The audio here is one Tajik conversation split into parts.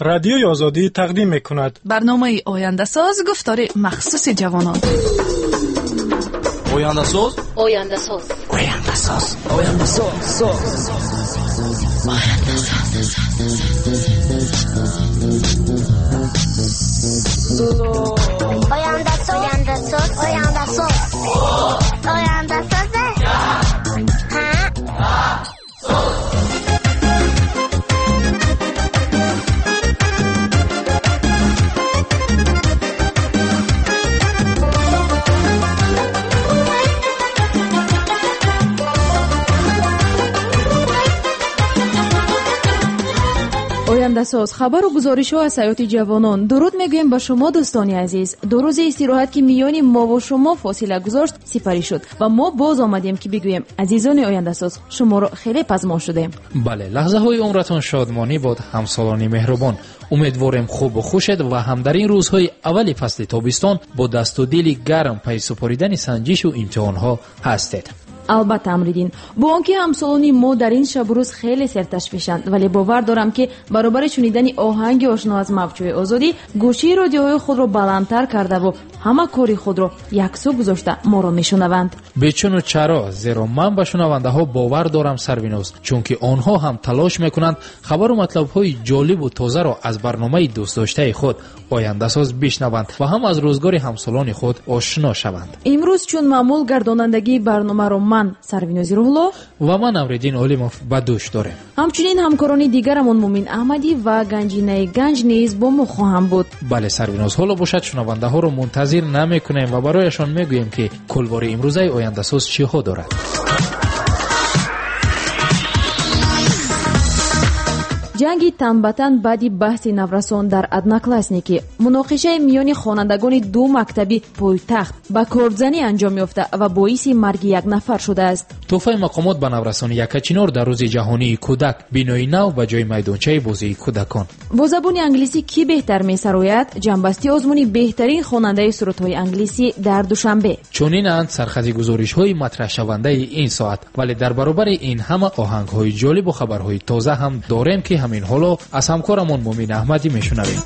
Радиои Озодӣ тақдим мекунад. Барномаи Ояндасоз, гуфтори махсуси ҷавонон. Ояндасоз, Ояндасоз, Ояндасоз, Ояндасоз, Ояндасоз, Ояндасоз, Ояндасоз, Ояндасоз. Ояндасоз, хабару гузоришҳо аз ҳаёти ҷавонон. Дуруд мегӯем ба шумо, дӯстони азиз. Ду рӯзи истироҳат, ки миёни мову шумо фосила гузошт, сипарӣ шуд ва мо боз омадем, ки бигӯем: азизони Ояндасоз, шуморо хеле пазмон шудем. Бале, лаҳзаҳои умратон шодмонӣ бод, ҳамсолони меҳрубон. Умедворем, хубу хушед ва ҳам дар ин рӯзҳои аввали фасли тобистон бо дасту дили гарм пайи супоридани санҷишу имтиҳонҳо ҳастед. Албатта, Амриддин, бо он ки ҳамсолони мо дар ин шабу рӯз хеле серташвишанд, вале бовар дорам, ки баробари шунидани оҳанги ошно аз мавҷҳои Озодӣ, гӯшии радиоҳои худро баландтар кардаву ҳама кори худро яксӯ гузошта моро мешунаванд. Бечуну чаро, зеро ман ба шунавандаҳо бовар дорам, Сарвиноз, чунки онҳо ҳам талош мекунанд хабару матлабҳои ҷолибу тозаро аз барномаи дӯстдоштаи худ Ояндасоз бишнаванд ва ҳам аз рӯзгори ҳамсолони худ ошно шаванд. Имрӯз, чун маъмул, гардонандагии барномаро ман, Сарвинози Рӯҳулло, ва ман, Амриддин Олимов, ба дӯш дорем. Ҳамчунин ҳамкорони дигарамон Мумин Аҳмадӣ ва Ганҷинаи Ганҷ низ бо мо хоҳанд буд. Бале, Сарвиноз, ҳоло бошад, шунавандаҳоро мунтазир намекунем ва барояшон мегӯем, ки кулвори имрӯзаи Ояндасоз чиҳо дорад. Ҷанги танбатан баъди баҳси наврасон дар Одноклассники, муноқишаи миёни хонандагони ду мактаби пойтахт ба кордзанӣ анҷом ёфта ва боиси марги як нафар шудааст. Тӯҳфаи мақомот ба наврасони Якачинор дар рӯзи ҷаҳонии кӯдак, бинои нав ба ҷои майдончаи бозии кӯдакон. Бо забони англисӣ кӣ беҳтар месарояд? Ҷамъбасти озмуни беҳтарин хонандаи сурудҳои англисӣ дар Душанбе. Чунинанд сархати гузоришҳои матраҳшавандаи ин соат, вале дар баробари ин ҳама оҳангҳои ҷолибу хабарҳои тоза ҳам дорем, ки ҳамин ҳоло аз ҳамкорамон Мумин Аҳмадӣ мешунавем.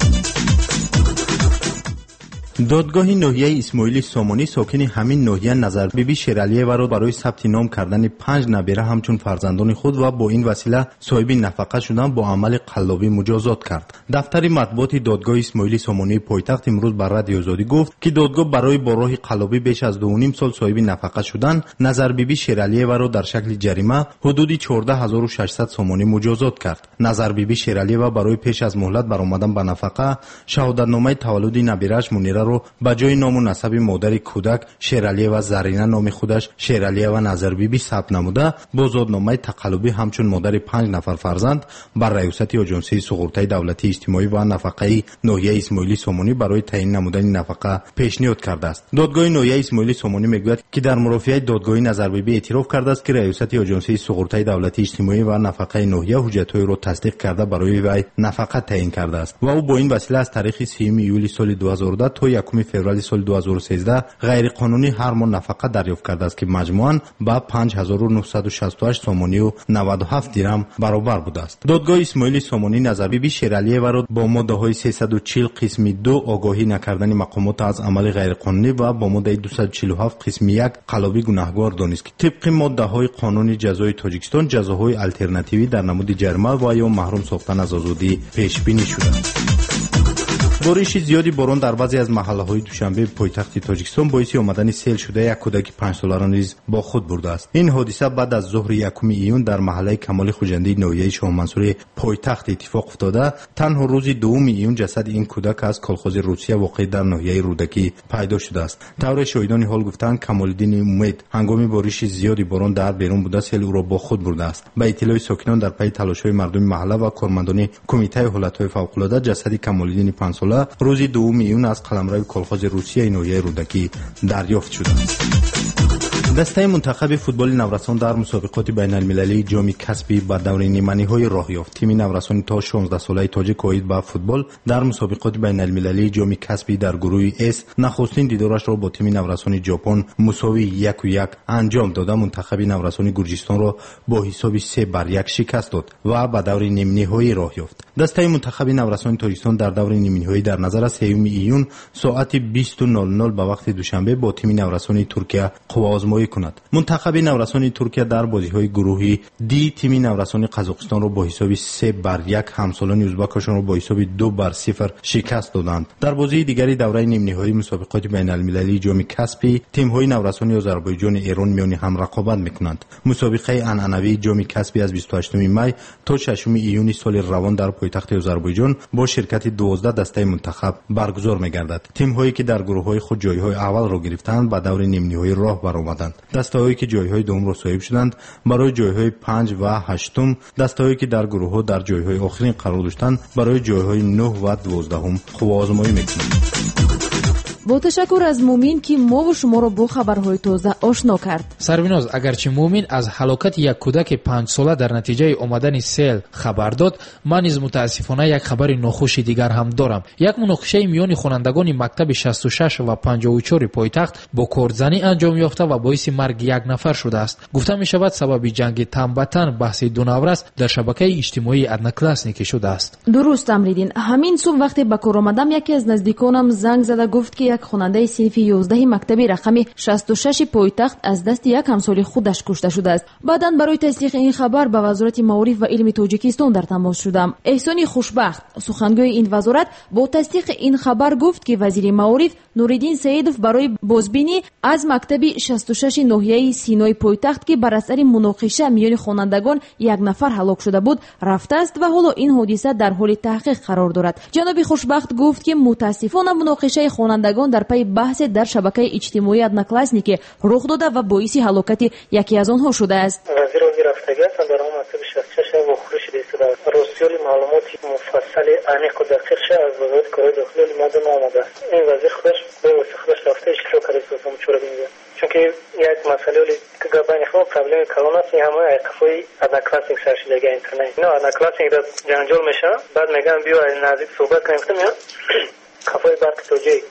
Додгоҳи ноҳияи Исмоили Сомонӣ сокини ҳамин ноҳия Назарбиби Шералиеваро барои сабти ном кардани панҷ набера ҳамчун фарзандони худ ва бо ин васила соҳиби нафақа шудан бо амали қаллобӣ муҷозот кард. Дафтари матбуоти додгоҳи Исмоили Сомонии пойтахт имрӯз ба Радиои Озодӣ гуфт, ки додгоҳ барои бо роҳи қаллобӣ беш аз 2,5 сол соҳиби нафақа шудан Назарбиби Шералиеваро дар шакли ҷарима ҳудуди 14 600 сомонӣ муҷозот кард. Назарбиби Шералиева барои пеш аз муҳлат баромадан ба нафақа шаҳодатномаи таваллуди набирааш Мунираро ба ҷои ному насаби модари кӯдак Шералиева Зарина номи худаш Шералиева Назарбиби сабт намуда, бо зодномаи тақаллубӣ ҳамчун модари панҷ нафар фарзанд ба Раёсати Оҷонсии суғуртаи давлатии иҷтимоӣ ва нафақаи ноҳияи Исмоили Сомонӣ барои таъин намудани нафақа пешниҳод кардааст. Додгоҳи ноҳияи Исмоили Сомонӣ мегӯяд, ки дар мурофиаи додгоҳӣ Назарбибӣ эътироф кардааст, ки Раёсати Оҷонсии суғуртаи давлатии иҷтимоӣ ва нафақаи ноҳия ҳуҷҷатҳоеро тасдиқ карда, барои вай нафақа таъин кардааст ва ӯ бо ин васила аз таърихи 30 июли соли 2010 то 1 феврали соли 2013 ғайриқонунӣ ҳар моҳ нафақа дарёфт кардааст, ки маҷмӯан ба 5968 сомонию 97 дирам баробар будааст. Додгоҳи Исмоили Сомонӣ Назарбиби Шералиеваро бо моддаҳои 340 қисми 2 огоҳӣ накардани мақомот аз амали ғайриқонунӣ ва бо моддаи 247 қисми 1 қаллобӣ гунаҳгор донист, ки тибқи моддаҳои Қонуни ҷазои Тоҷикистон ҷазоҳои алтернативӣ дар намуди ҷарима ва ё маҳрум сохтан аз озодӣ пешбинӣ шудааст. Бориши зиёди борон дар баъзе аз маҳаллаҳои Душанбе, пойтахти Тоҷикистон, боиси омадани сел шуда, як кӯдаки 5-соларо низ бо худ бурдааст. Ин ҳодиса баъд аз зуҳри 1 июн дар маҳаллаи Камоли Хуҷандии ноҳияи Шоҳмансури пойтахт иттифоқ афтода. Танҳо рӯзи 2 июн ҷасади ин кӯдак аз колхози Русия, воқеъ дар ноҳияи Рӯдакӣ, пайдо шудааст. Тавре шоҳидони ҳол гуфтанд, Камолиддини Умед ҳангоми бориши зиёди борон дар берун буда, сел ӯро бо худ бурдааст. Ба иттилои сокинон, дар пайи талошҳои мардуми маҳалла ва кормандони Кумитаи ҳолатҳои фавқулода ҷасади Камолиддини 5-сола рӯзи 2 июн аз қаламрави колхози Русияи ноҳияи Рӯдакӣ дарёфт шудааст. Дастаи мунтахаби футболи наврасон дар мусобиқоти байналмилалии ҷоми Каспий ба даври ниманиҳоӣ роҳ ёфт. Тими наврасони то 16-солаи тоҷик оид ба футбол дар мусобиқоти байналмилалии ҷоми Каспий дар гурӯҳи С нахустин дидорашро бо тими наврасони Ҷопон мусовии 1-1 анҷом дода, мунтахаби наврасони Гурҷистонро бо ҳисоби 3-1 шикаст дод ва ба даври нимниҳоӣ роҳ ёфт. Дастаи мунтахаби наврасони Тоҷикистон дар даври нимниҳоӣ дар назар аст 3 июн соати 20:00 ба вақти Душанбе бо тими наврасони Туркия қувваозмоӣ кунад. Мунтахаби наврасони Туркия дар бозиҳои гурӯҳи Д тими наврасони Қазоқистонро бо ҳисоби 3-1, ҳамсолони узбакашонро бо ҳисоби 2-0 шикаст доданд. Дар бозии дигари давраи нимниҳоии мусобиқоти байналмилалии ҷоми Каспий тимҳои наврасони Озарбойҷону Эрон миёни ҳам рақобат мекунанд. Мусобиқаи анъанавии ҷоми Каспий аз 28 май то 6 июни соли равон дар пойтахти Озарбойҷон бо ширкати 12 дастаи мунтахаб баргузор мегардад. Тимҳое ки дар гурӯҳҳои худ ҷойҳои аввалро гирифтаанд, ба даври нимниҳоӣ роҳ баромаданд. Дастаҳое ки ҷойҳои дуюмро соҳиб шуданд, барои ҷойҳои 5 ва 8, дастаҳое ки дар гурӯҳҳо дар ҷойҳои охирин қарор доштанд, барои ҷойҳои 9 ва 12 қувваозмоӣ мекунанд. Бо ташаккур аз Мумин, ки мову шуморо бо хабарҳои тоза ошно кард. Сарвиноз, агарчи Мумин аз ҳалокати як кӯдаки 5-сола дар натиҷаи омадани сел хабар дод, ман низ мутаассифона як хабари нохуши дигар ҳам дорам. Як муноқишаи миёни хонандагони мактаби 66 ва 54 пойтахт бо кордзанӣ анҷом ёфта ва боиси марги як нафар шудааст. Гуфта мешавад, сабаби ҷанги тан ба тан баҳси ду наврас дар шабакаи иҷтимоии Одноклассники шудааст. Дуруст, Амриддин. Ҳамин субҳ вақте ба кор омадам, яке аз наздиконам занг зада гуфт, ки як хонандаи синфи 11 мактаби рақами 66 пойтахт аз дасти як ҳамсоли худаш кушта шудааст. Баъдан барои тасдиқи ин хабар ба Вазорати маориф ва илми Тоҷикистон дар тамос шудам. Эҳсони Хушбахт, сухангӯи ин вазорат, бо тасдиқи ин хабар гуфт, ки вазири маориф Нуриддин Саидов барои бозбинӣ аз мактаби 66 ноҳияи Синои пойтахт, ки бар асари муноқиша миёни хонандагон як нафар ҳалок шуда буд, рафтааст ва ҳоло ин ҳодиса дар ҳоли таҳқиқ қарор дорад. Ҷаноби Хушбахт гуфт, ки мутаассифона муноқишаи хонандагон дар пайи баҳсе дар шабакаи иҷтимоии Одноклассники рух дода ва боиси ҳалокати яке аз онҳо шудааст. Вазир ози рафтагӣ ҳастанд, дар он мактаби 66 вохӯрӣ шуда истодааст. Ростиёли маълумоти муфассали аниқу дақиқша аз вазорати корҳои дохилӣ мада наомадааст. Ин вазир худаш бевосита худаш рафта иштирок карда истодааст мучорабинида. Чунки як масъалаи байни худ проблеми калон аст, ин ҳамаи айқафҳои Одноклассник сар шудага интернет. Ино Одноклассник дар ҷанҷол мешаванд, баъд мегӯянд биё наздик суҳбат кунем, гуфтам ё қафои барқи тоҷик.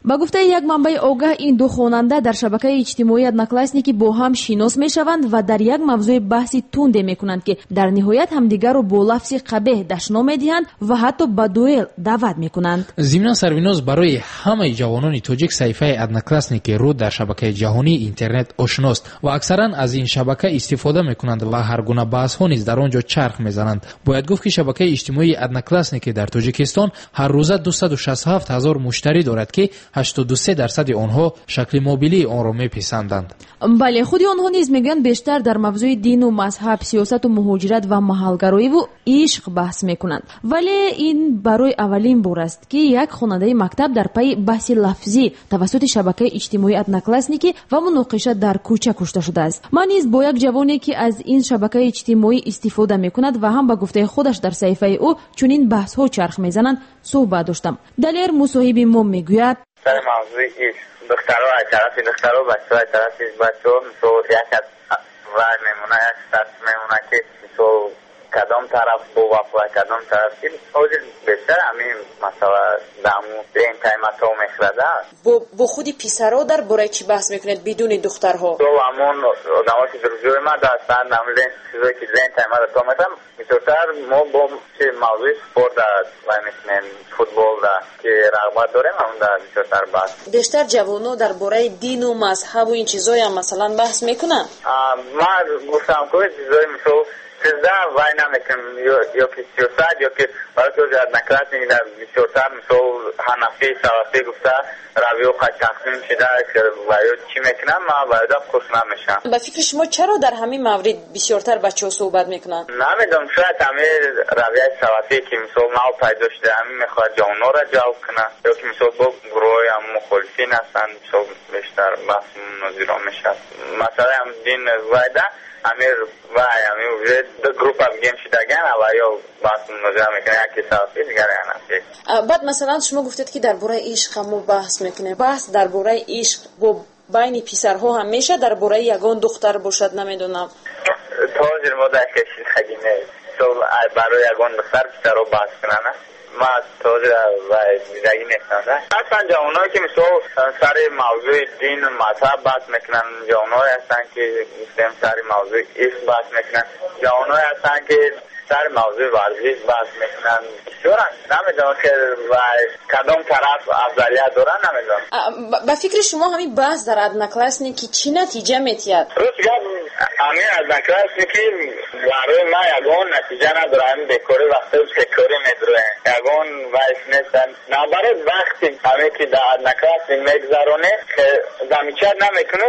Ба гуфтаи як манбаи огаҳ, ин ду хонанда дар шабакаи иҷтимоии Одноклассники бо ҳам шинос мешаванд ва дар як мавзӯи баҳси тунде мекунанд, ки дар ниҳоят ҳамдигарро бо лафзи қабеҳ дашном медиҳанд ва ҳатто ба дуэл даъват мекунанд. Зимнан, Сарвиноз, барои ҳамаи ҷавонони тоҷик саҳифаи Одноклассники ру дар шабакаи ҷаҳонии интернет ошност ва аксаран аз ин шабака истифода мекунанд ва ҳар гуна баҳсҳо низ дар он ҷо чарх мезананд. Бояд гуфт, ки шабакаи иҷтимоии Одноклассники дар Тоҷикистон ҳар рӯза 267 ҳазор муштарӣ дорад, ки 83% онҳо шакли мобилии онро меписанданд. Бале, худи онҳо низ мегӯянд, бештар дар мавзӯи дину мазҳаб, сиёсату муҳоҷират ва маҳалгароиву ишқ баҳс мекунанд. Вале ин барои аввалин бор аст, ки як хонандаи мактаб дар пайи баҳси лафзӣ тавассути шабакаи иҷтимоии Одноклассники ва муноқиша дар кӯча кушта шудааст. Ман низ бо як ҷавоне, ки аз ин шабакаи иҷтимоӣ истифода мекунад ва ҳам ба гуфтаи худаш дар саҳифаи ӯ чунин баҳсҳо чарх мезананд, суҳбат доштам. Далер мусоҳиби мо мегӯяд: сари мавзӯи ишқ, духтаро аз тарафи духтаро, бачаҳо аз тарафи бачаҳо, мисол як аз вай мемона, як сатр мемона, ки мисол кадом тараф бовафо, кадом тараф ки ҳозир бештар ҳамин масъала даму лентаи мато мехӯрада. Бо худи писаро дар бораи чӣ баҳс мекунед бидуни духтарҳо? Мисол ҳамон одамо ки друзёи ма ҳастанд, ҳамин чизое ки лентаи ма то мехӯрам, бисёртар мо бо чи мавзӯи спорт вай мекунем, футболда ки рағбат дорем, ҳамонда бисёртар баҳс. Бештар ҷавонҳо дар бораи дину мазҳабу ин чизоям масалан баҳс мекунанд? Ман гуфтам ки чизои мисол чизда вай намекунем, ё ки сиёсат, ё ки барои ки Одноклассник бисёртар мисол ҳанафӣ, салафӣ гуфта равиё қад тақсим шуда ва ё чӣ мекунам, ман ва ёда хуш намешавам. Ба фикри шумо чаро дар ҳамин маврид бисёртар бачаҳо суҳбат мекунанд? Намедонам, шояд ҳамин равияи салафӣ, ки мисол нав пайдо шуда, ҳамин мехоҳад ҷавонҳоро ҷалб кунад, ё ки мисол бо гурӯҳҳои ҳам мухолифин ҳастанд, мисол бештар баҳс мунозиро мешавад. Масъалаи ҳам дин вайда Амир вай ами уже ду группа бигем шидаган, ава ё баҳс мунозира мекунанд, яке салафӣ, дигаре ҳанафӣ. Баъд масалан шумо гуфтед, ки дар бораи ишқ ҳам мо баҳс мекунем. Баҳс дар бораи ишқ бо байни писарҳо ҳам мешавад, дар бораи ягон духтар бошад, намедонам. То ҳозир мо дар кашидагӣ нест. Барои ягон духтар писарҳо баҳс кунанд, ма то ҳозир дидагӣ нестам. Ҳастанд ҷавоное, ки мисол сари мавзӯи дину мазҳаб баҳс мекунанд, ҷавоное ҳастанд, ки гуфтем сари мавзӯи ишқ баҳс мекунанд, ҷавоное ҳастанд, ки сари мавзӯи варзиш баҳс мекунанд. Бисёранд, намедонам ки кадом тараф афзалият доранд, намедонам. Ба фикри шумо ҳамин баҳс дар Одноклассники чӣ натиҷа метиҳад? Рост гап, ҳамин Одноклассники барои ман ягон натиҷа надорад. Ҳамин бекорӣ вақтҳои бекорӣ медуроем, ягон вайс нестанд. Наоборот, вақти ҳаме ки дар Одноклассник мегузаронӣ, замечать намекунӣ,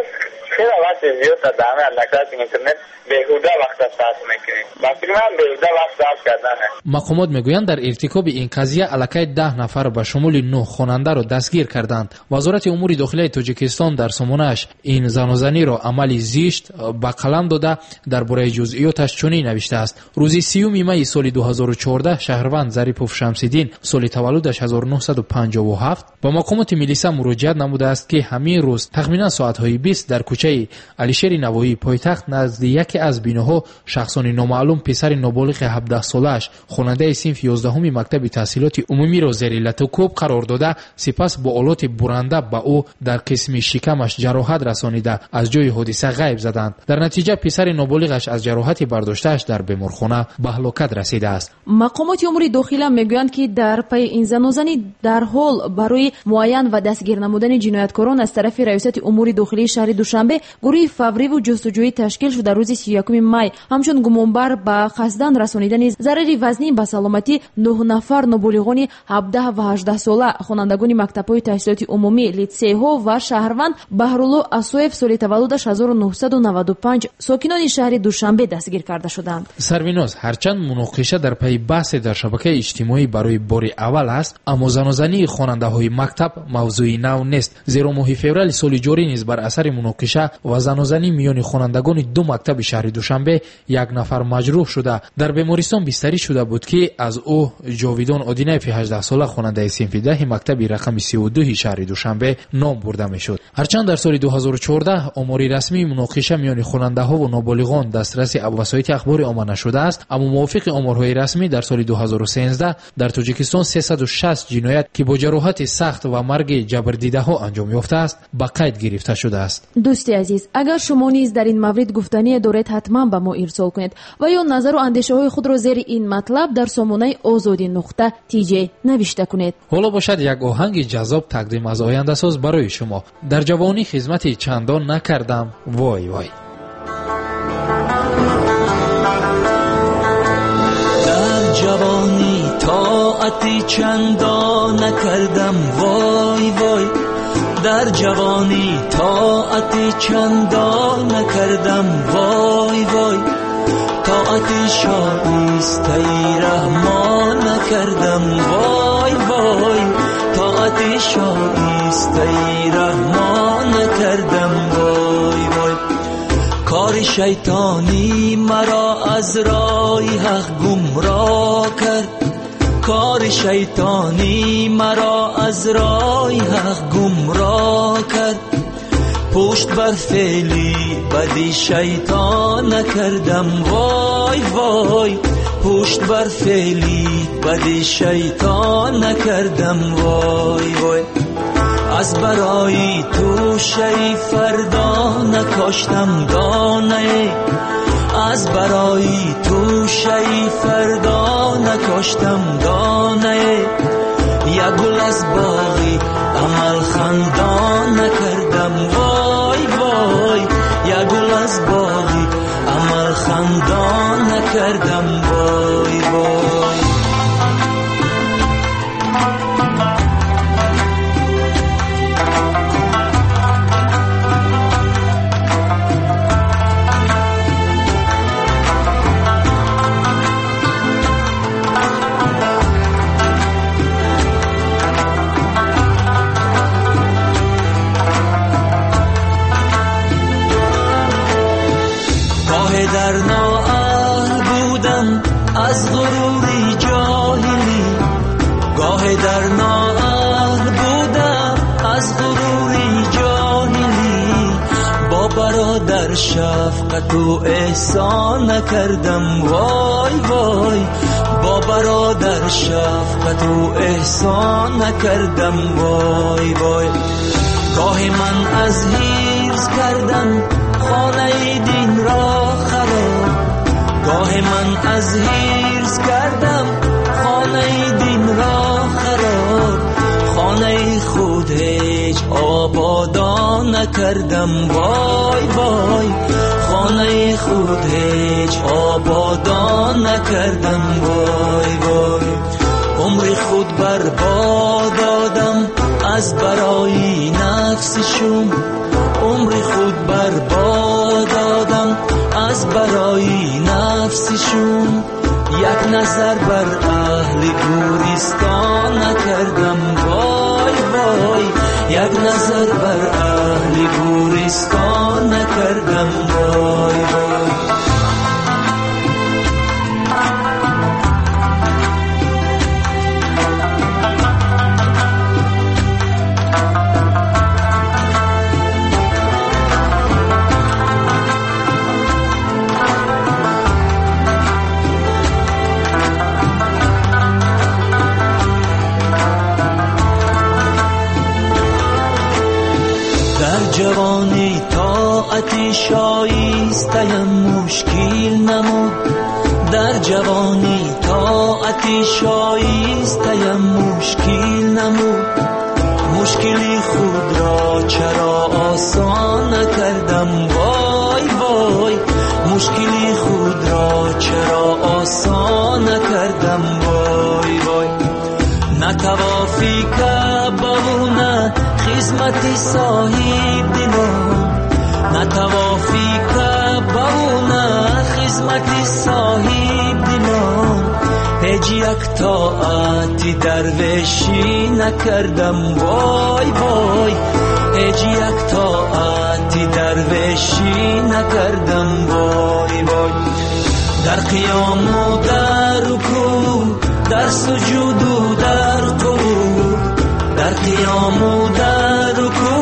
хеле вақти зиёд дар ҳамин Одноклассник интернет беҳуда вақта сарф мекунӣ. Ба фикри ман беҳуда вақт сарф кардане. Мақомот мегӯянд, дар иртикоби ин қазия аллакай 10 нафар ба шумули 9 хонандаро дастгир карданд. Вазорати умури дохилаи Тоҷикистон дар сомонааш ин занозаниро амали зишт ба қалам дода, дар бораи ҷузъиёташ чунин навиштааст. Рӯзи 30 майи соли 2014 шаҳрванд Зарипов Шамсиддин, соли таваллудаш 1957, ба мақомоти милиса муроҷиат намудааст, ки ҳамин рӯз тахминан соатҳои 20 дар кӯчаи Алишери Навоӣ пойтахт назди яке аз биноҳо шахсони номаълум писари ноболиғи 17-солааш, хонандаи синфи 11 мактаби таҳсилоти умумиро зери латукӯб қарор дода, сипас бо олоти буранда ба ӯ дар қисми шикамаш ҷароҳат расонида, аз ҷои ҳодиса ғайб заданд. Дар натиҷа писари ноболиғаш аз ҷароҳати бардоштааш дар беморхона ба ҳалокат расидааст. Мақомоти умури дохила мегӯянд, ки дар пайи ин занозанӣ дарҳол барои муайян ва дастгир намудани ҷинояткорон аз тарафи Раёсати умури дохилии шаҳри Душанбе гурӯҳи фавриву ҷустуҷӯӣ ташкил шуда, рӯзи 31 май ҳамчун гумонбар ба қасдан расонидани зарари вазнин ба саломатӣ 9 нафар ноболиғони 17 ва 18 сола, хонандагони мактабҳои таҳсилоти умумӣ, литсейҳо ва шаҳрванд Баҳрулло Асоев, соли таваллудаш 1995, сокинони шаҳри Душанбе дастгир карда шуданд. Сарвиноз, ҳарчанд муноқиша дар пайи баҳсе дар шабакаи иҷтимоӣ барои бори аввал аст, аммо занозании хонандаҳои мактаб мавзӯи нав нест, зеро моҳи феврали соли ҷорӣ низ бар асари муноқиша ва занозанӣ миёни хонандагони ду мактаби шаҳри Душанбе як нафар маҷрӯҳ шуда, дар бемористон бистарӣ шуда буд, ки аз ӯ Ҷовидон Одинаеви 18-сола, хонандаи синфи 10 мактаби рақами 32 шаҳри Душанбе ном бурда мешуд. Ҳарчанд дар соли 2014 омори расмии муноқиша миёни хонандаҳову ноболиғон дастраси васоити ахбори омма нашудааст, аммо мувофиқи оморҳои расмӣ дар соли 2013 дар Тоҷикистон 360 ҷиноят, ки бо ҷароҳати сахт ва марги ҷабрдидаҳо анҷом ёфтааст, ба қайд гирифта шудааст. Дӯсти азиз, агар шумо низ дар ин маврид гуфтание доред, ҳатман ба мо ирсол кунед ва ё назару андешаҳои худро зери ин матлаб дар сомонаи озодӣ.тj навишта кунед. Ҳоло бошад як оҳанги ҷаззоб тақдим аз Ояндасоз барои шумо. Дар ҷавонӣ хизмати чандон накардам, вой вой. Дар ҷавонӣ тоати чандон накардам, вой вой. Дар ҷавонӣ тоати чандон накардам, вой вой. Тоати шоистаи раҳмон накардам, вой вой. Тоати шоистаи раҳмон накардам, вой вой. Кори шайтонӣ маро аз роҳи ҳақ гумроҳ кард, кори шайтонӣ маро аз роҳи ҳақ гумроҳ кард. Пушт бар феъли бади шайтон накардам, вой вой. Пушт бар феъли бади шайтон накардам, вой вой. Аз барои тӯшаи фардо накоштам донае, аз барои тӯшаи фардо накоштам донае. Як гул аз боғи амал хандон накардам, вой вой. Як гул аз боғи амал хандон накардам, вой вой. аз ғурури ҷоҳилӣ, гоҳе дар ноаҳл будам аз ғурури ҷоҳилӣ, бо бародар шафқату эҳсон накардам, вой вой, бо бародар шафқату эҳсон накардам, вой вой. Гоҳе ман аз ҳирс кардам хонаи дин ро хароб, гоҳе ман аз ҳирс кардам хонаи дин ро хароб, хонаи худ ҳеҷ ободон накардам, вой вой, хонаи худ ҳеҷ ободон накардам, вой вой. Умри худ барбод додам аз барои нафси шум, умри худ барбод додам аз барои нафси шум, як назар бар аҳли гӯристон накардам, вой вой, як назар бар аҳли гӯристон накардам, вой вой. Ҷавонӣ тоати шоистаям мушкил намуд, дар ҷавонӣ тоати шоистаям мушкил намуд, мушкили худро чаро осон накардам, вой вой, мушкили худро чаро осон накардам, вой вой. На тавофи Каъбаву на хизмати соҳибдилон, на тавофи Каъбаву на хизмати соҳибдилон, ҳеҷ як тоати дарвешӣ накардам, вой вой, ҳеҷ як тоати дарвешӣ накардам, вой вой. Дар қиёму дар рукӯъ, дар суҷуду дар қуъуд, дар қиёму дар рукӯъ,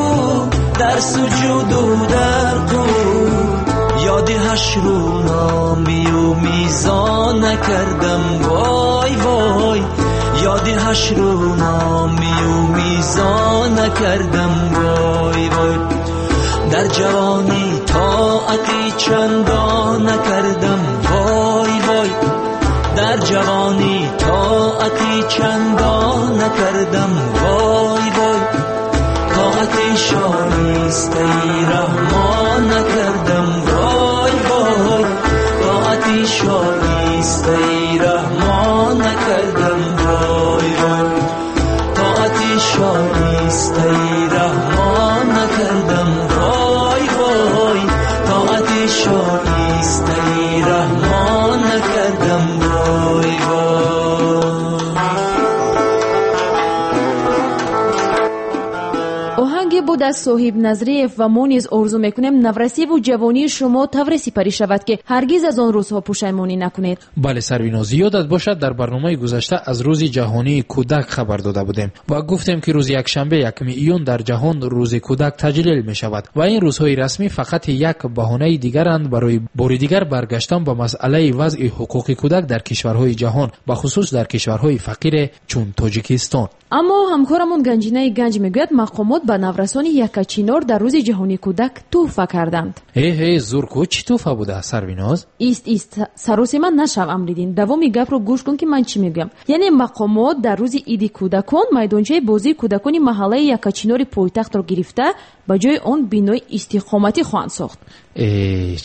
дар суҷуду дар қуъуд, ёди ҳашру номию мизон накардам, вой вой, ёди ҳашру номию мизон накардам, вой вой. Дар ҷавонӣ тоати чандон накардам, вой вой, дар ҷавонӣ тоати чандон накардам, вой вой, тоати шоистаи раҳмон накардам, вой вой, тоати шоистаи раҳмон накардам, вой вой, тоати шоистаи раҳмон накардам, вой вой, тоати шоистаи раҳмон накардам, вой вой. Оҳанге буд аз Соҳиб Назриев ва мо низ орзу мекунем наврасиву ҷавонии шумо тавре сипарӣ шавад, ки ҳаргиз аз он рӯзҳо пушаймонӣ накунед. Бале Сарвиноз, ёдат бошад дар барномаи гузашта аз рӯзи ҷаҳонии кӯдак хабар дода будем ва гуфтем, ки рӯзи якшанбе 1 июн дар ҷаҳон рӯзи кӯдак таҷлил мешавад ва ин рӯзҳои расмӣ фақат як баҳонаи дигаранд барои бори дигар баргаштан ба масъалаи вазъи ҳуқуқи кӯдак дар кишварҳои ҷаҳон, бахусус дар кишварҳои фақире чун Тоҷикистон. Аммо ҳамкорамон Ганҷинаи Ганҷ мегӯяд, мақомот ба наврасони Якачинор дар рӯзи ҷаҳонии кӯдак тӯҳфа карданд. Э зурку, чӣ тӯҳфа буда Сарвиноз? Ист ист, саросема нашав Амриддин, давоми гапро гӯш кун, ки ман чӣ мегӯям. Яъне мақомот дар рӯзи иди кӯдакон майдончаи бозии кӯдакони маҳаллаи Якачинори пойтахтро гирифта ба ҷои он бинои истиқоматӣ хоҳанд сохт.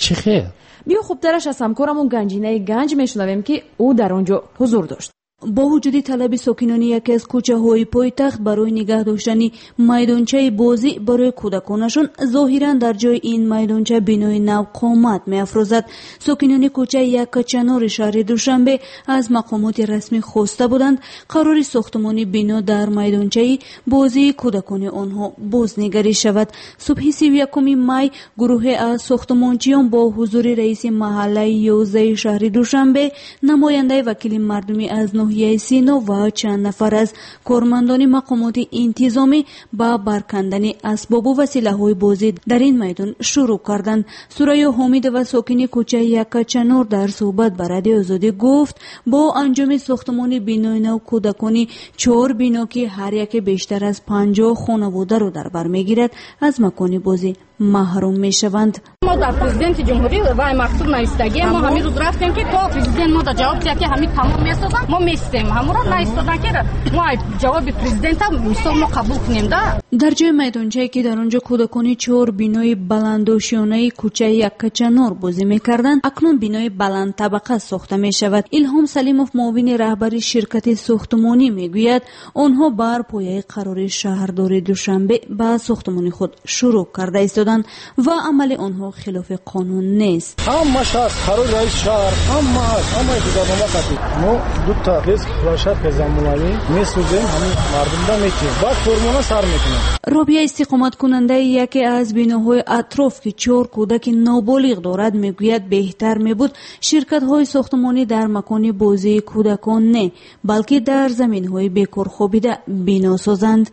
Чӣ хел? Биё хубтараш аз ҳамкорамон Ганҷинаи Ганҷ мешунавем, ки ӯ дар он ҷо ҳузур дошт. Бо вуҷуди талаби сокинони яке аз кӯчаҳои пойтахт барои нигаҳ доштани майдончаи бозӣ барои кӯдаконашон, зоҳиран дар ҷои ин майдонча бинои нав қомат меафрӯзад. Сокинони кӯчаи Яккачанори шаҳри Душанбе аз мақомоти расмӣ хоста буданд қарори сохтмони бино дар майдончаи бозии кӯдакони онҳо бознигарӣ шавад. Субҳи 31 май гурӯҳе аз сохтмончиён бо ҳузури раиси маҳаллаи 11 шаҳри Душанбе, намояндаи вакили мардумӣ аз ноҳияи Сино ва чанд нафар аз кормандони мақомоти интизомӣ ба баркандани асбобу василаҳои бозӣ дар ин майдон шурӯъ карданд. Сурайё Ҳомидова, сокини кӯчаи Яккачанор, дар суҳбат ба Радиои Озодӣ гуфт, бо анҷоми сохтмони бинои нав кӯдакони 4 бино, ки ҳар яке бештар аз 50 хонаводаро дар бар мегирад, аз макони бозӣ маҳрум мешаванд. Мо дар президенти ҷумҳурӣ вай мактуб навистагием. Мо ҳамин рӯз рафтем, ки то президент мо да ҷавоб диҳад, ки ҳамин тамом месозанд, мо местем. Ҳамонро наистодан, ки мо ҷавоби президента мисол мо қабул кунем, да. Дар ҷои майдончае, ки дар он ҷо кӯдакони 4 бинои баландошёнаи кӯчаи Яккачанор бозӣ мекарданд, акнун бинои баландтабақа сохта мешавад. Илҳом Салимов, муовини раҳбари ширкати сохтмонӣ, мегӯяд, онҳо бар пояи қарори шаҳрдори Душанбе ба сохтмони худ шурӯъ карда истоданд ва амали онҳо хилофи қонун нест. Ҳамаш ҳаст, қарори раиси шаҳр, ҳама ҳаст, ҳамаи гузарнома қатъӣ. Мо дута детский площадка замонавӣ месозем, ҳамин мардумда метиҳем, баъд формона сар мекунем. Робия, истиқоматкунандаи яке аз биноҳои атроф, ки 4 кӯдаки ноболиғ дорад, мегӯяд, беҳтар мебуд ширкатҳои сохтмонӣ дар макони бозии кӯдакон не, балки дар заминҳои бекор хобида бино созанд.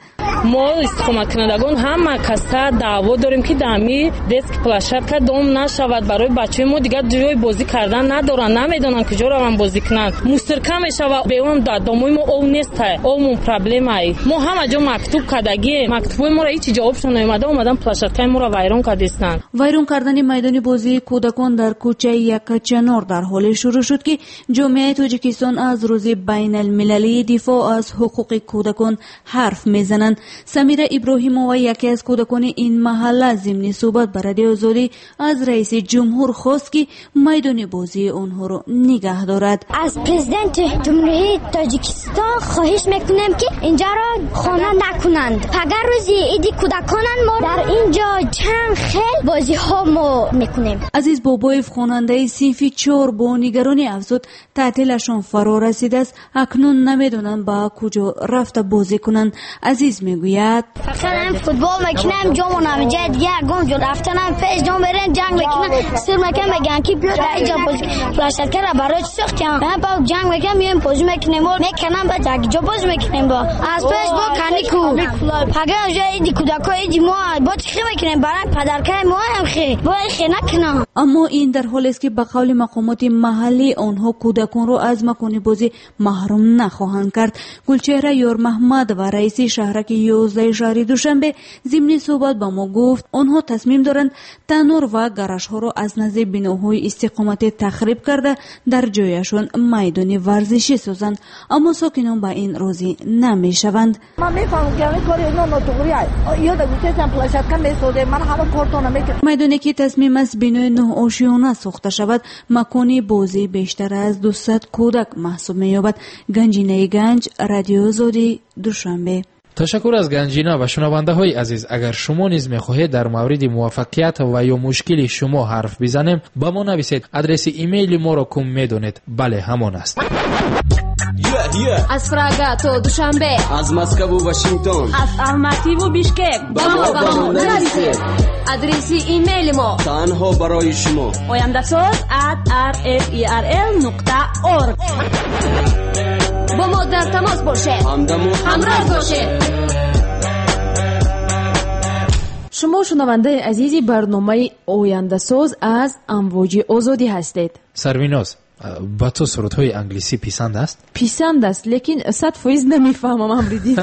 Мо истиқоматкунандагон ҳама каса даъво дорем, ки дар ҳамин детский площадка дом нашавад. Барои бачаҳои мо дигар ҷои бозӣ кардан надоранд, намедонанд куҷо раванд бозӣ кунанд. Мусирка мешавад, беон дар домои мо об нест, обмон проблемае. Мо ҳама ҷо мактуб кардагием, мактубҳои моро ҳеҷ ҷавобшон наомада, омадан площадкаи моро вайрон кардистанд. Вайрон кардани майдони бозии кӯдакон дар кӯчаи Яккачанор дар ҳоле шурӯъ шуд, ки ҷомеаи Тоҷикистон аз рӯзи байналмилалии дифоъ аз ҳуқуқи кӯдакон ҳарф мезананд. Самира Иброҳимова, яке аз кӯдакони ин маҳалла, зимни суҳбат ба Радиои Озодӣ аз раиси ҷумҳур хост, ки майдони бозии онҳоро нигаҳ дорад. Аз президенти ҷумҳурии Тоҷикистон хоҳиш мекунем, ки инҷаро хона накунанд. Агар рӯзи иди кӯдаконанд, мо дар инҷо чанд хел бозиҳо мо мекунем. Азиз Бобоев, хонандаи синфи 4, бо нигаронӣ афзуд, таътилашон фаро расидааст, акнун намедонанд ба куҷо рафта бозӣ кунанд. Азиз мегӯяд: фақат футбол мекунем, ҷомонам ҷои дигар ягон ҷо рафтанам пеш ҷом берем, ҷанг мекунам, сир мекунам, мегӯянд ки биё дар инҷо бозӣ, площадкаро барои чӣ сохтем? Ман ба ҷанг мекунам, меоем бозӣ мекунем, мекунам, ба як ҷо бозӣ мекунем, бо аз пеш бо каникул. Агар ҷо иди кӯдако, иди мо бо чӣ мекунем? Барои падаркаи мо ҳам хе бо хе накунам. Аммо ин дар ҳолест, ки ба қавли мақомоти маҳаллӣ онҳо кӯдаконро аз макони бозӣ маҳрум нахоҳанд кард. Гулчеҳра Ёрмаҳмадова, раиси шаҳраки 11 шаҳри Душанбе, зимни суҳбат ба мо гуфт, онҳо тасмим доранд танур ва гаражҳоро аз назди биноҳои истиқоматӣ тахриб карда, дар ҷояшон майдони варзишӣ созанд. Аммо сокинон ба ин розӣ намешаванд. Ман мефаҳмам, ки ҳамин кори ино нотуғрӣ аст. Ё да гуфтесам площадка месозем, ман ҳама кортона мекунам. Майдоне, ки тасмим аст бинои нӯҳошёна сохта шавад, макони бозии бештар аз 200 кӯдак маҳсуб меёбад. Ганҷинаи Ганҷ, Радиои Озодӣ, Душанбе. Ташаккур аз Ганҷина. Ва шунавандаҳои азиз, агар шумо низ мехоҳед дар мавриди муваффақият ва ё мушкили шумо ҳарф бизанем, ба мо нависед. Адреси имейли моро кум медонед? Бале, ҳамон аст. Аз Прага то Душанбе, аз Москву Вашингтон, аз Алмативу Бишкек ба мо нависед. Адреси имейли мо танҳо барои шумо: ояндаsoz@rferl.org. Бо мо дар тамос бошед, ҳамдаму ҳамроҳ бошед. Шумо шунавандаи азизи барномаи Ояндасоз аз Амвоҷи Озодӣ ҳастед. Сарвиноз, ба ту сурудҳои англисӣ писанд аст? Писанд аст, лекин 100% намефаҳмам, Амриддин.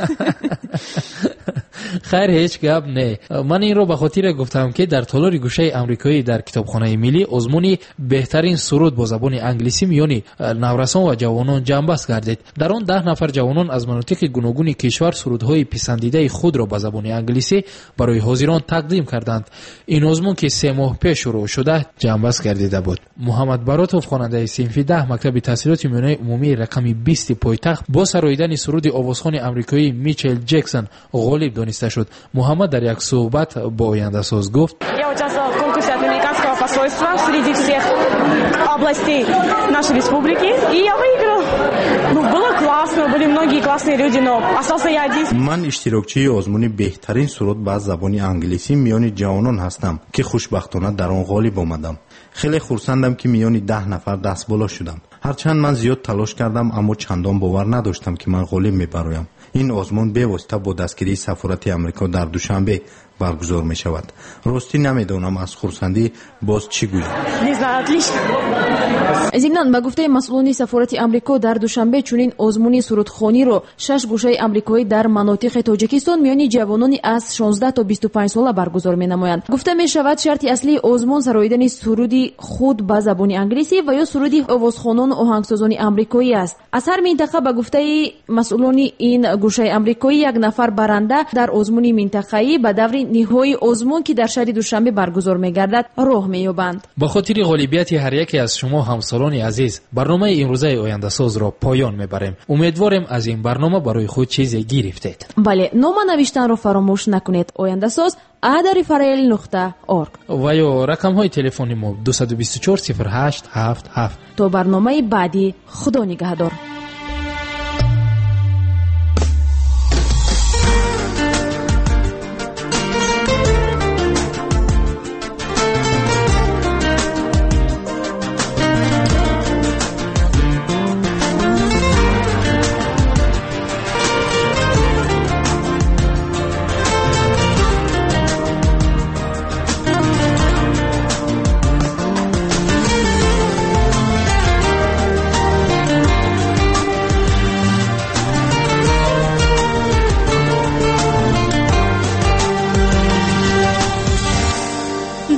Хайр, ҳеҷ гап не. Ман инро ба хотире гуфтам, ки дар толори гӯшаи амрикоӣ дар китобхонаи миллӣ озмуни беҳтарин суруд бо забони англисӣ миёни наврасон ва ҷавонон ҷамъбаст гардид. Дар он 10 нафар ҷавонон аз манотиқи гуногуни кишвар сурудҳои писандидаи худро ба забони англисӣ барои ҳозирон тақдим карданд. Ин озмун, ки 3 моҳ пеш шурӯъ шуда, ҷамъбаст гардида буд. Муҳаммад Баротов, хонандаи синфи 10 мактаби таҳсилоти миёнаи умумии рақами 20 пойтахт, бо сароидани суруди овозхони амрикоӣ Мичел Ҷексон ғолиб дониста шуд. Муҳаммад дар як суҳбат бо ояндасоз гуфт: Я участвовала в конкурсе от американского посольства среди всех областей нашей республики, и я выиграла. Ну, было классно, были многие классные люди, но остался я один. Ман иштирокчии озмуни беҳтарин суруд ба забони англисӣ миёни ҷавонон ҳастам, ки хушбахтона дар он ғолиб омадам. Хеле хурсандам, ки миёни 10 нафар дастболо шудам. Ҳарчанд ман зиёд талош кардам, аммо чандон бовар надоштам, ки ман ғолиб мебароям. Ин озмун бевосита бо дастгирии сафорати Амрико дар Душанбе баргузор мешавад. Ростӣ намедонам аз хурсандӣ боз чӣ гӯям. Не знаю, отлично. Зимнан, ба гуфтаи масъулони сафорати Амрико дар Душанбе, чунин озмуни сурудхониро 6 гӯшаи амрикоӣ дар манотиқи Тоҷикистон миёни ҷавонони аз 16 то 25 сола баргузор менамоянд. Гуфта мешавад, шарти аслии озмун сароидани суруди худ ба забони англисӣ ва ё суруди овозхонону оҳангсозони амрикоӣ аст. Аз ҳар минтақа, ба гуфтаи масъулони ин гӯшаи амрикоӣ, як нафар баранда дар озмуни минтақаӣ ба даври ниҳоии озмун, ки дар шаҳри Душанбе баргузор мегардад, роҳ меёбанд. Ба хотири ғолибияти ҳар яке аз шумо, ҳамсолони азиз, барномаи имрӯзаи ояндасозро поён мебарем. Умедворем, аз ин барнома барои худ чизе гирифтед. Бале, нома навиштанро фаромӯш накунед. Ояндасоз @rl.org ва ё рақамҳои телефони мо 224 08 77. То барномаи баъдӣ, Худо нигаҳдор.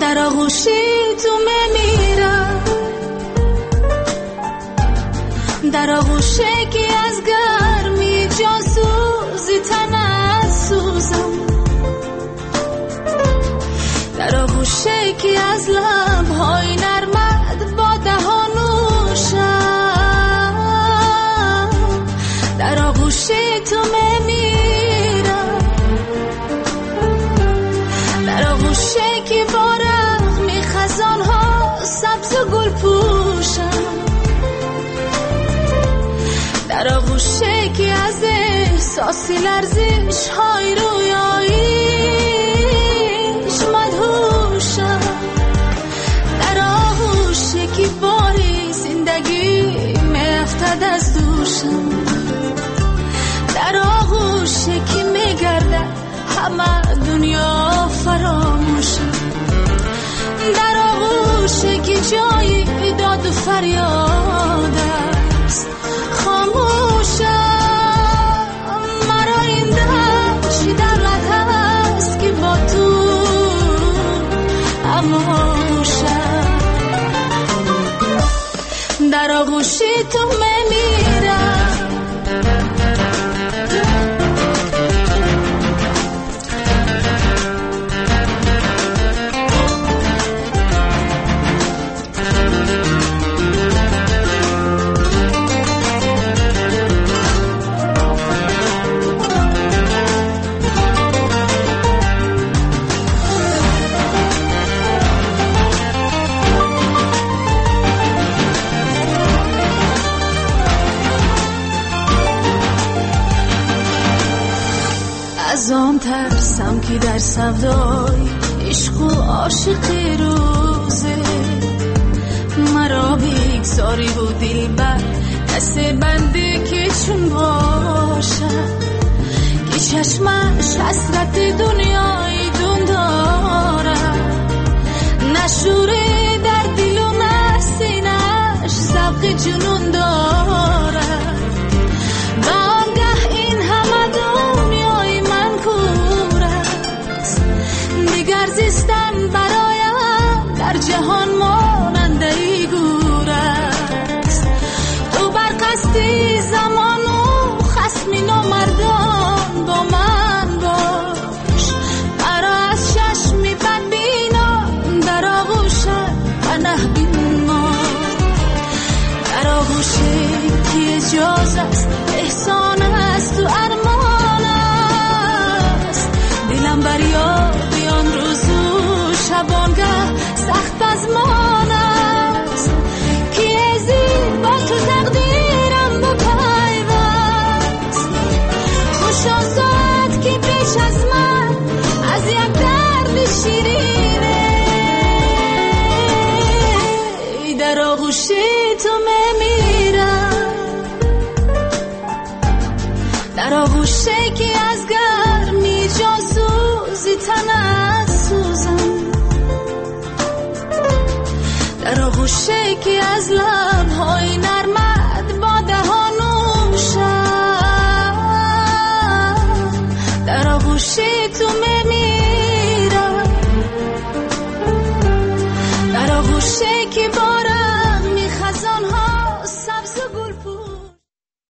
در آغوشی تو میمیرم، در آغوشی که از گرمی جان سوزی تنت سوزم، در آغوشی که از لبهای نرمت با دهان نوشم، در آغوشی تو میمیرم، در آغوشی که با رغم خزانها سبز و گل پوشم، در آغوشی که از احساس لرزش های رویاییش مدهوشم، در آغوشی که باری زندگی میافتد از دوشم، در آغوشی که میگردد همه دنیا فراموشم، در آغوشی که جای داد و فریاد است خاموشم، مرا این چی دولت هست که با تو اموشم، در آغوشی تو میمیرم. از آن ترسم که در سودای عشق و عاشقی روزه مرا بگذاری و دل بر کس بنده که چون باشد، که چشمش حسرت دنیای دون دارد، نه شوری در دل و نه سینه‌اش ذوق جنون دارد، و آنگه این همه دنیای من کور дасти замону хасми номардон бо ман бош. Маро аз чашми бадбинон дар оғӯшат панаҳ бинмо. Дар оғӯше ки эҷоз аст, эҳсон аст у армон аст. Дилам бар ёди он рӯзу шабонгаҳ сахт пазмон аст, ки зид бо ту тақдирам бипайваст. Хуш он соат ки пеш аз ман аз як дарди ширине дар оғӯши ту мемирам, дар оғӯше ки аз гарми ҷонсӯзи танат сӯзам, дар оғӯше ки аз лабҳои